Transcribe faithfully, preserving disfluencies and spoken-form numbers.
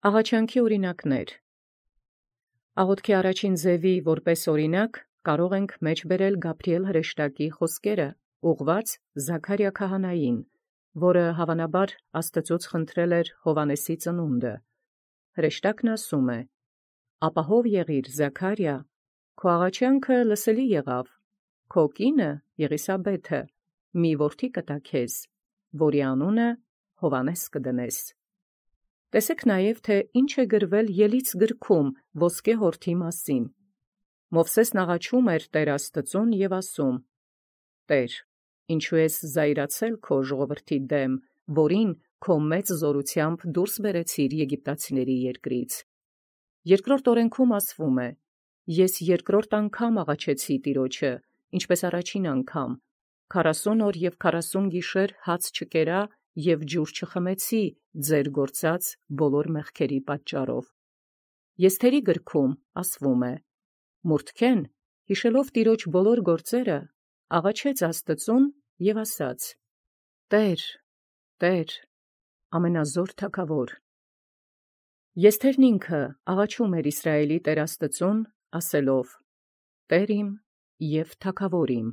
Աղաչանքի օրինակներ։ Աղոթքի առաջին ձևի որպես օրինակ կարող ենք մեջ բերել Գաբրիել հրեշտակի խոսքերը, ուղղված Զաքարիա քահանային, որը հավանաբար Աստծուց խնդրել էր Հովանեսի ծնունդը։ Հրեշտակն ասում է. «Ապահով եղիր, Զաքարիա, քո աղաչանքը լսելի եղավ, քո կինը Եղիսաբեթը մի որդի կտա քեզ, որի անունը Հովանես կդնես»։ Տեսեք նաև, թե ինչ է գրվել Ելից գրքում ոսկե հորթի մասին։ Մովսեսն աղաչում էր Տեր Աստծուն և ասում. «Տեր, ինչու ես զայրացել քո ժողովրդի դեմ, որին քո մեծ զորութեամբ դուրս բերեցիր Եգիպտացիների երկրից»։ Երկրորդ օրենքում ասվում է. «Ես երկրորդ անգամ աղաչեցի Տիրոջը, ինչպես առաջին անգամ, քառասուն օր և քառասուն գիշեր հաց չկերա և ջուր չխմեցի ձեր գործած բոլոր մեղքերի պատճառով»։ Եսթերի գրքում ասվում է. «Մուրթքեն, յիշելով Տիրոջ բոլոր գործերը, աղաչեց Աստծուն և ասաց. «Տե՛ր, Տե՛ր, ամենազոր թագաւոր»։ Եսթերն ինքը աղաչում էր Իսրայէլի Տեր Աստծուն, ասելով. «Տէր իմ և թագաւոր իմ»։